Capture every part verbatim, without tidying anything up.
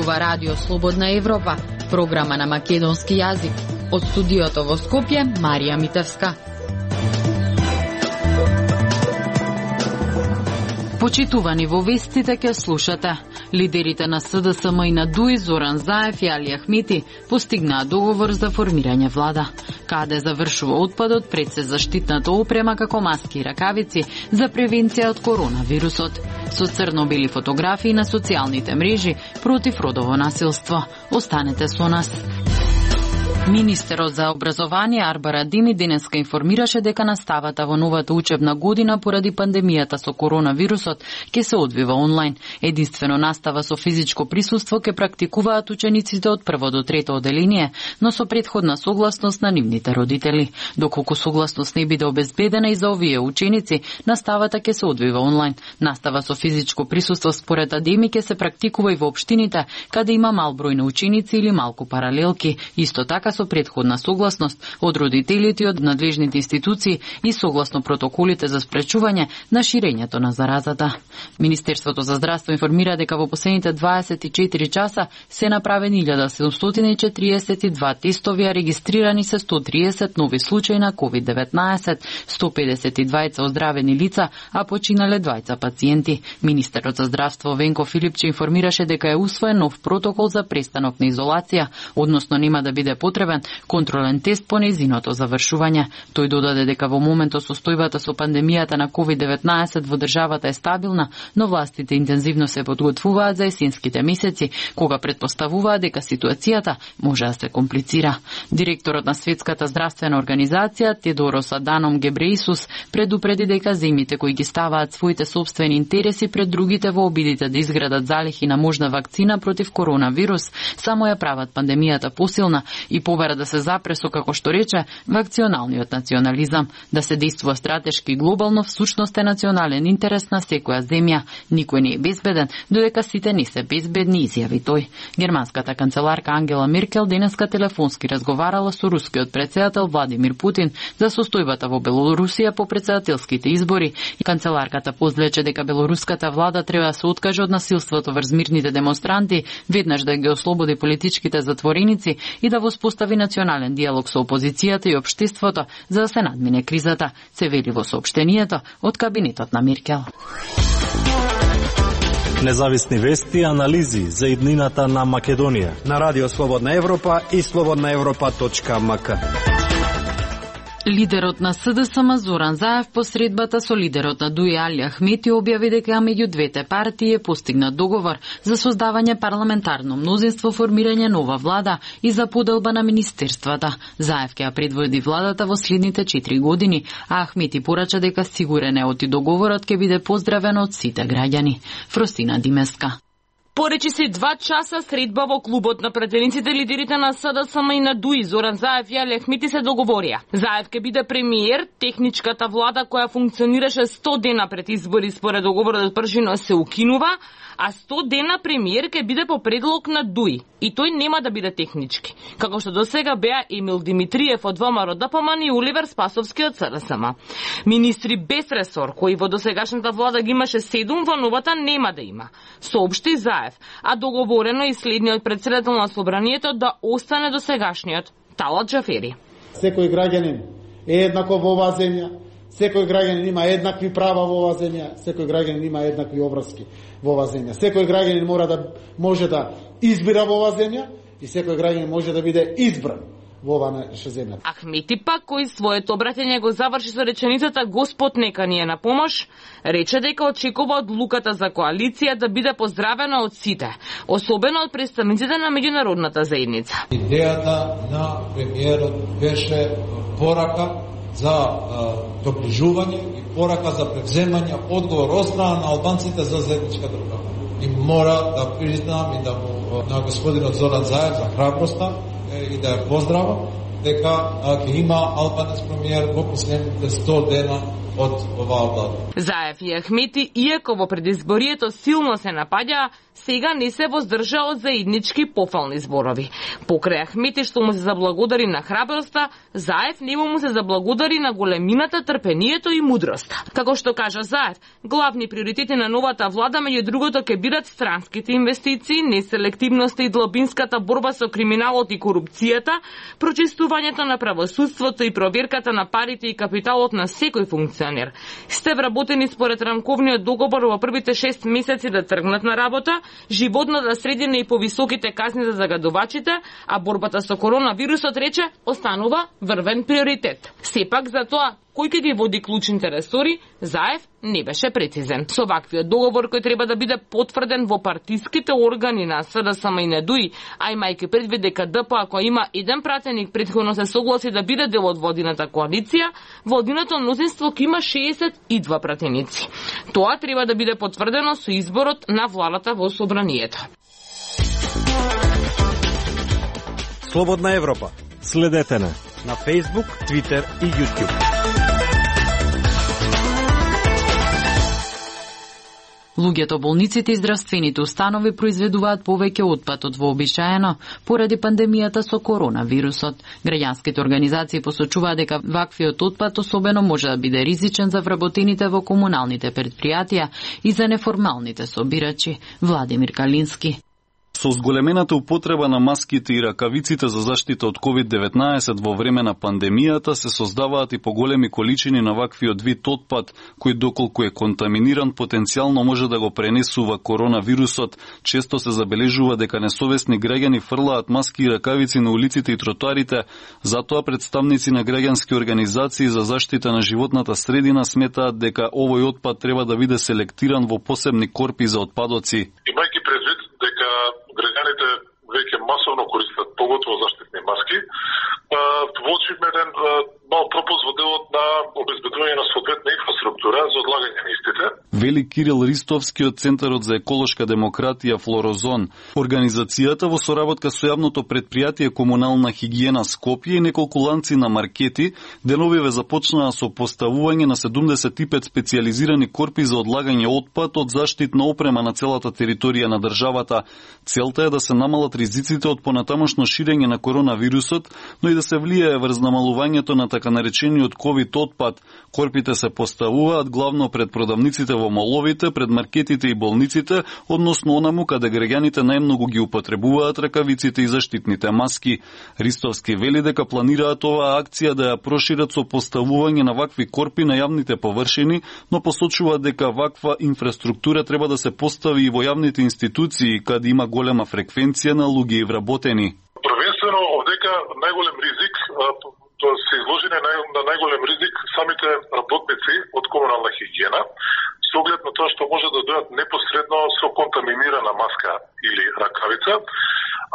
зборува Радио Слободна Европа, програма на македонски јазик. Од студиото во Скопје, Марија Митевска. Почитувани, во вестите ке слушате. Лидерите на С Д С М и на ДУИ Зоран Заев и Али Ахмети постигнаа договор за формирање влада. Каде завршува отпадот пред се заштитната опрема како маски и ракавици за превенција од коронавирусот. Со црно-бели фотографии на социјалните мрежи против родово насилство. Останете со нас. Министерот за образование Арбара Дими денеска информираше дека наставата во новата учебна година поради пандемијата со коронавирусот ќе се одвива онлайн. Единствено настава со физичко присуство ќе практикуваат учениците од прво до трето оделение, но со претходна согласност на нивните родители. Доколку согласност не биде обезбедена и за овие ученици, наставата ќе се одвива онлайн. Настава со физичко присуство според Адеми ќе се практикува и во општините каде има мал број на ученици или малку паралелки. Исто така со претходна согласност од родителите и од надлежните институции и согласно протоколите за спречување на ширењето на заразата. Министерството за здравство информира дека во последните дваесет и четири часа се направени илјада седумстотини и четириесет и два тестови, а регистрирани се сто триесет нови случаи на ковид деветнаесет, сто педесет и двајца оздравени лица, а починале двајца пациенти. Министерот за здравство Венко Филипче информираше дека е усвоен нов протокол за престанок на изолација, односно нема да биде потребен контролен тест по нејзиното завршување. Тој додаде дека во моментот состојбата со пандемијата на ковид деветнаесет во државата е стабилна, но властите интензивно се подготвуваат за есенските месеци, кога претпоставуваат дека ситуацијата може да се комплицира. Директорот на Светската здравствена организација Тедорос Аданом Гебреисус предупреди дека земјите кои ги ставаат своите сопствени интереси пред другите во обидите да изградат залихи на можна вакцина против коронавирус, само ја прават пандемијата посилна и побара да се запре со, како што рече, вакционалниот национализам, да се действува стратешки и глобално, всушност е национален интерес на секоја земја. Никој не е безбеден, додека сите не се безбедни, изјави тој. Германската канцеларка Ангела Меркел денеска телефонски разговарала со рускиот претседател Владимир Путин за состојбата во Белорусија по претседателските избори. Канцеларката позвлече дека белоруската влада треба да се откаже од насилството врз мирните демонстранти, веднаш да ги ослободи политичките затвореници и да воспостави национален диалог со опозицијата и општеството за да се надмине кризата, се вели во соопштението од кабинетот на Меркел. Независни вести и анализи за иднината на Македонија на Радио Слободна Европа и слободна европа точка ем ка. Лидерот на С Д С М Зоран Заев по средбата со лидерот на ДУИ Али Ахмети објави дека меѓу двете партии е постигнат договор за создавање парламентарно мнозинство, формирање нова влада и за поделба на министерствата. Заев ќе ја предводи владата во следните четири години, а Ахмети порача дека сигурен е оти договорот ќе биде поздравен од сите граѓани. Фростина Димеска. Поречи се два часа средба во клубот на претениците, лидерите на С Д С М и на ДУИ Зоран Заев и Али Ахмети се договорија. Заев ќе биде премиер, техничката влада која функционираше сто дена пред избори според договорот од првжино се укинува, а сто дена премиер ќе биде по предлог на ДУИ. И тој нема да биде технички, како што досега беа Емил Димитриев од ВМРО Д П М и Оливер Спасовски од С Д С М. Министри без ресор, кои во досегашната влада ги имаше седум, во новата нема да има, соопшти Заев, а договорено и следниот претседател на собранието да остане досегашниот Талат Џафери. Секој граѓанин е еднаков во оваа земја, секој граѓанин има еднакви права во оваа земја, секој граѓанин има еднакви обврски во оваа земја. Секој граѓанин мора да може да избира во оваа земја и секој граѓанин може да биде избран во оваа наша земја. Ахмети пак, кој своето обраќање го заврши со реченицата Господ нека ни е на помош, рече дека очекува одлуката за коалиција да биде поздравена од сите, особено од представниците на меѓународната заедница. Идејата на премиерот беше порака за доближување и порака за превземање одговор од страна на албанците за заедничка држава. И мора да признам и да му на господинот Зоран Заев за храброста и да ја поздравам дека ќе има албанец премиер во последните сто дена од оваа влада. Заев и Ахмети, иако во предизборието силно се напаѓаа, сега не се воздржа од заеднички пофални зборови. Покрај Ахмети што му се заблагодари на храброста, Заев нему му се заблагодари на големината, трпението и мудроста. Како што кажа Заев, главни приоритети на новата влада меѓу другото ќе бидат странските инвестиции, неселективноста и длабинската борба со криминалот и корупцијата, прочистувањето на правосудството и проверката на парите и капиталот на секој функционер. Сте вработени според рамковниот договор во првите шест месеци да тргнат на работа, животната средина и повисоките казни за загадувачите, а борбата со коронавирусот, рече, останува врвен приоритет. Сепак за тоа кој ќе ги води клучните ресори, Заев не беше прецизен. Со ваквиот договор кој треба да биде потврден во партиските органи на СДСМ и НДУИ, а имајќи предвид дека ДП ако има еден пратеник претходно се согласи да биде дел од владината коалиција, владиното мнозинство ќе има шеесет и два пратеници. Тоа треба да биде потврдено со изборот на владата во собранието. Слободна Европа. Следете на на Facebook, Twitter и YouTube. Луѓето, болниците и здравствените установи произведуваат повеќе отпад од вообичаено поради пандемијата со коронавирусот. Граѓанските организации посочуваат дека ваквиот отпад особено може да биде ризичен за вработените во комуналните предпријатија и за неформалните собирачи. Владимир Калински. Со зголемената употреба на маските и ракавиците за заштита од ковид деветнаесет во време на пандемијата се создаваат и поголеми количини на ваквиот вид отпад, кој доколку е контаминиран потенцијално може да го пренесува коронавирусот. Често се забележува дека несовесни граѓани фрлаат маски и ракавици на улиците и тротоарите, затоа представници на граѓански организации за заштита на животната средина сметаат дека овој отпад треба да биде селектиран во посебни корпи за отпадоци. Имајќи предвид дека граѓаните веќе масовно користат поготово заштитни маски, воочивме еден мал пропуск во делот на обезбедување на соодветна инфраструктура за одлагање на истите. Вели Кирил Ристовски од Центарот за еколошка демократија Флорозон. Организацијата во соработка со јавното предпријатие Комунална хигиена Скопје и неколку ланци на маркети деновиве започнаа со поставување на седумдесет и пет специјализирани корпи за одлагање отпад од заштитна опрема на целата територија на државата. Целта е да се намалат ризиците од понатамошно ширење на коронавирусот, но и да се влијае врз намалувањето на така наречениот ковид отпад. Корпите се поставуваат главно пред продавниците во моловите, пред маркетите и болниците, односно онаму каде граѓаните најмногу ги употребуваат ракавиците и заштитните маски. Ристовски вели дека планираат оваа акција да ја прошират со поставување на вакви корпи на јавните површини, но посочува дека ваква инфраструктура треба да се постави и во јавните институции, каде има голема фреквенција на луѓе и вработени. Првенствено, овдека најголем ризик, тоа се изложени на најголем ризик самите работници од комунална хигиена, со оглед на тоа што може да дојдат непосредно со контаминирана маска или ракавица,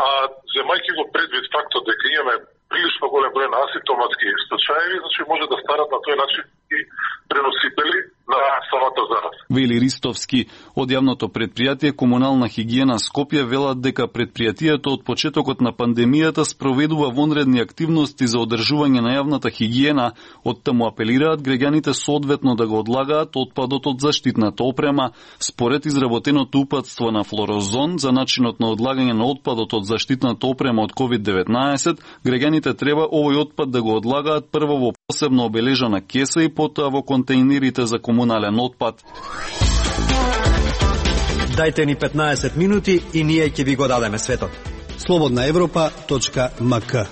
а земајќи го предвид фактот дека имаме прилично голем број на асимптоматски случаи, значи може да старат на тој начин и преносители на самата зараза. Вели Ристовски. Од јавното предпријатие Комунална хигиена Скопје велат дека предпријатието од почетокот на пандемијата спроведува вонредни активности за одржување на јавната хигиена, оттаму апелираат граѓаните соодветно да го одлагаат отпадот од заштитната опрема. Според изработеното упатство на Флорозон за начинот на одлагање на отпадот од заштитната опрема од ковид деветнаесет, граѓаните треба овој отпад да го одлагаат прво во посебно обележана кеса и потоа во контејнерите за комунален отпад. Дајте ни петнаесет минути и ние ќе ви го дадеме светот. слободна европа точка ем ка.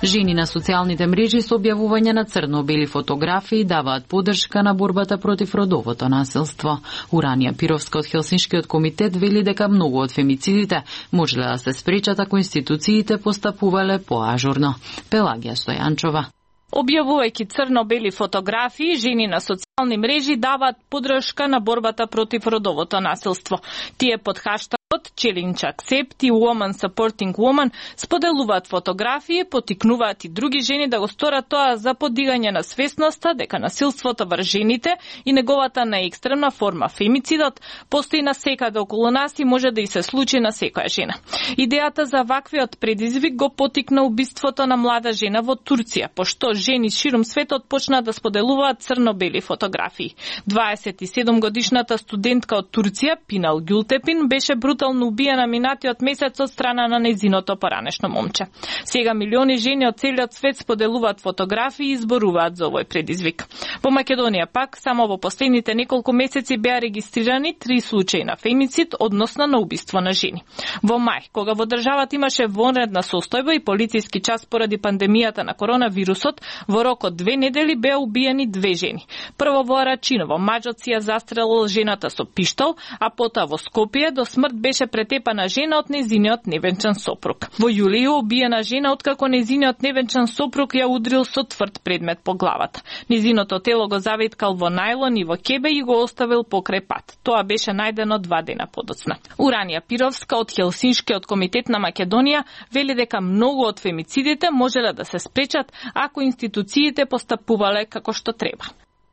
Жени на социјалните мрежи со објавување на црно-бели фотографии даваат поддршка на борбата против родовото насилство. Уранија Пировска од Хелсиншкиот комитет вели дека многу од фемицидите можеле да се спречат ако институциите постапувале поажурно. Пелагија Стојанчова. Објавувајќи црно-бели фотографии, жени на социјални мрежи даваат поддршка на борбата против родовото насилство. Тие под хаштагот Challenge Accept и Woman Supporting Woman споделуваат фотографии, потикнуваат и други жени да го сторат тоа за подигање на свесноста дека насилството врз жените и неговата најекстремна форма фемицидот постои на секаде околу нас и може да и се случи на секоја жена. Идејата за ваквиот предизвик го потикна убиството на млада жена во Турција, пошто жени ширум светот почнаа да споделуваат црно-бели фотографии. дваесет и седум годишната студентка од Турција, Пинал Гюлтепин, беше брутално убиена минатиот месец од страна на нејзиното поранешно момче. Сега милиони жени од целиот свет споделуваат фотографии и изборуваат за овој предизвик. Во Македонија пак, само во последните неколку месеци беа регистрирани три случаи на фемицид, односно на убиство на жени. Во мај, кога во државата имаше вонредна состојба и полициски час поради пандемијата на коронавирусот, во рок од две недели беа убиени две жени. Прво во Арачиново, мажот си ја застрелил жената со пиштол, а потоа во Скопје до смрт беше претепана жена од нејзиниот невенчан сопруг. Во јулију убиена жена откако нејзиниот невенчан сопруг ја удрил со тврд предмет по главата. Нејзиното тело го заветкал во најлон и во кебе и го оставил покрај пат. Тоа беше најдено два дена подоцна. Уранија Пировска од Хелсиншкиот комитет на Македонија вели дека многу од фемицидите можеле да се спречат ако институциите постапувале како што треба.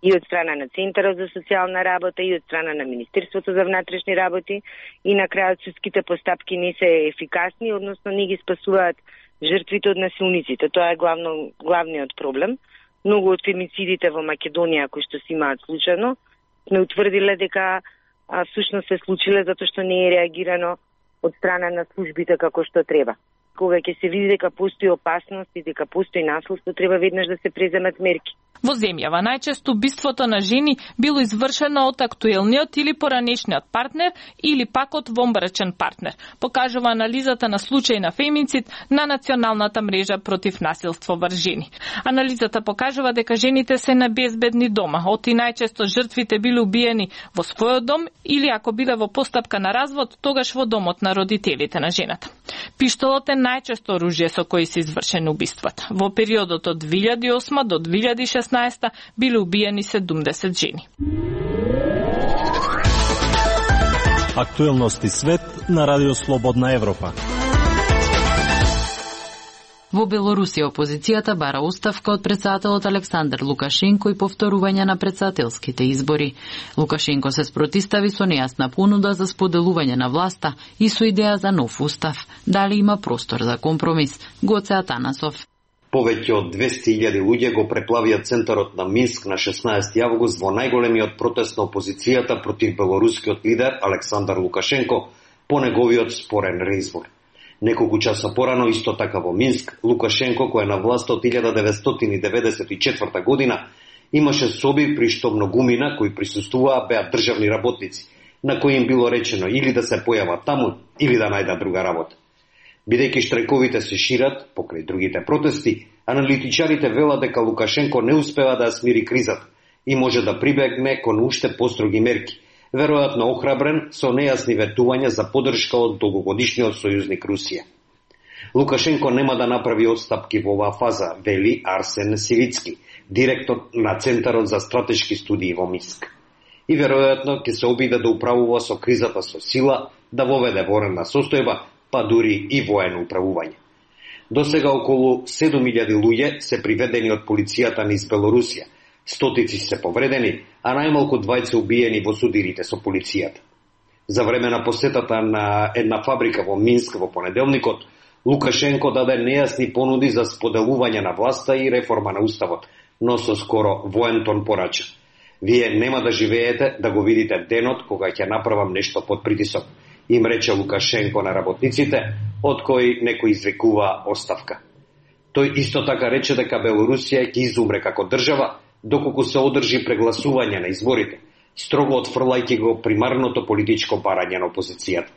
И од страна на Центарот за социјална работа, и од страна на Министерството за внатрешни работи, и на крајот судските постапки не се ефикасни, односно не ги спасуваат жртвите од насилниците. Тоа е главно, главниот проблем. Многу од фемицидите во Македонија кои што се имаат случајно, не утврдиле дека а, всушност се случиле затоа што не е реагирано од страна на службите како што треба. Кога ќе се види дека постои опасност и дека постои насилство, треба веднаш да се преземат мерки. Во земјава најчесто убиството на жени било извршено од актуелниот или поранешниот партнер или пак од вонбрачен партнер, покажува анализата на случаи на фемицид на Националната мрежа против насилство врз жени. Анализата покажува дека жените се небезбедни дома, оти најчесто жртвите биле убиени во својот дом или ако биле во постапка на развод, тогаш во домот на родителите на жената. Пиштолот е најчесто оружје со кој се извршени убиствата. Во периодот од две илјади и осма до две илјади и шеснаесета биле убиени седумдесет жени. Актуелности свет на Радио Слободна Европа. Во Белорусија опозицијата бара оставка од претседателот Александар Лукашенко и повторување на претседателските избори. Лукашенко се спротистави со нејасна понуда за споделување на власта и со идеја за нов устав. Дали има простор за компромис? Гоце Атанасов. Повеќе од двесте илјади луѓе го преплавија центарот на Минск на шеснаесети август во најголемиот протест на опозицијата против белорускиот лидер Александар Лукашенко по неговиот спорен реизбор. Неколку часа порано, исто така во Минск, Лукашенко, кој е на власт од илјада деветстотини деведесет и четврта година, имаше соби при што многумина кои присуствуваа беа државни работници, на кои им било речено или да се појават таму, или да најдат друга работа. Бидејќи штрајковите се шират покрај другите протести, аналитичарите велат дека Лукашенко не успева да смири кризата и може да прибегне кон уште построги мерки, веројатно охрабрен со нејасни ветувања за поддршка од долгогодишниот сојузник Русија. Лукашенко нема да направи отстапки во оваа фаза, вели Арсен Сивицки, директор на Центарот за стратешки студии во Минск. И веројатно ќе се обиде да управува со кризата со сила, да воведе военна состојба, па дури и воено управување. До сега околу седум илјади луѓе се приведени од полицијата низ Белорусија, стотици се повредени, а најмалку двајца убиени во судирите со полицијата. За време на посетата на една фабрика во Минск во понеделникот, Лукашенко даде нејасни понуди за споделување на власта и реформа на уставот, но со скоро воен тон порача. Вие нема да живеете да го видите денот кога ќе направам нешто под притисок, им рече Лукашенко на работниците, од кои некој извикува оставка. Тој исто така рече дека Белорусија ќе изумре како држава, доколку се одржи прегласување на изборите, строго отфрлајќи го примарното политичко барање на опозицијата.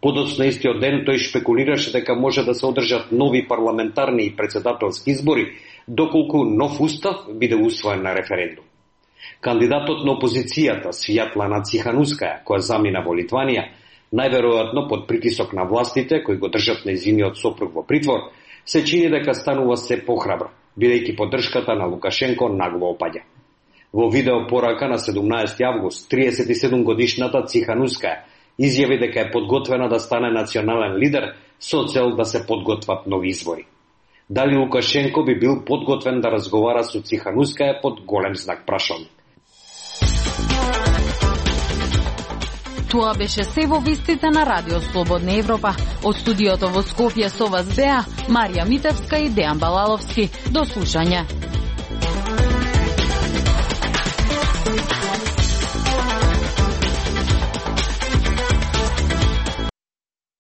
Подоцна истиот ден тој шпекулираше дека може да се одржат нови парламентарни и претседателски избори, доколку нов устав биде усвоен на референдум. Кандидатот на опозицијата Свјатлана Циханускаја, која замина во Литванија, најверојатно под притисок на властите кои го држат нејзиниот сопруг во притвор, се чини дека станува се похрабра, бидејќи поддршката на Лукашенко нагло опаѓа. Во видео порака на седумнаесети август, триесет и седум годишната Циханускаја Изјави дека е подготвена да стане национален лидер со цел да се подготват нови избори. Дали Лукашенко би бил подготвен да разговара со Циханускаја под голем знак прашалник. Тоа беше се во вестите на Радио Слободна Европа. Од студиото во Скопје со вас беа Марија Митевска и Дејан Балаловски. До слушање.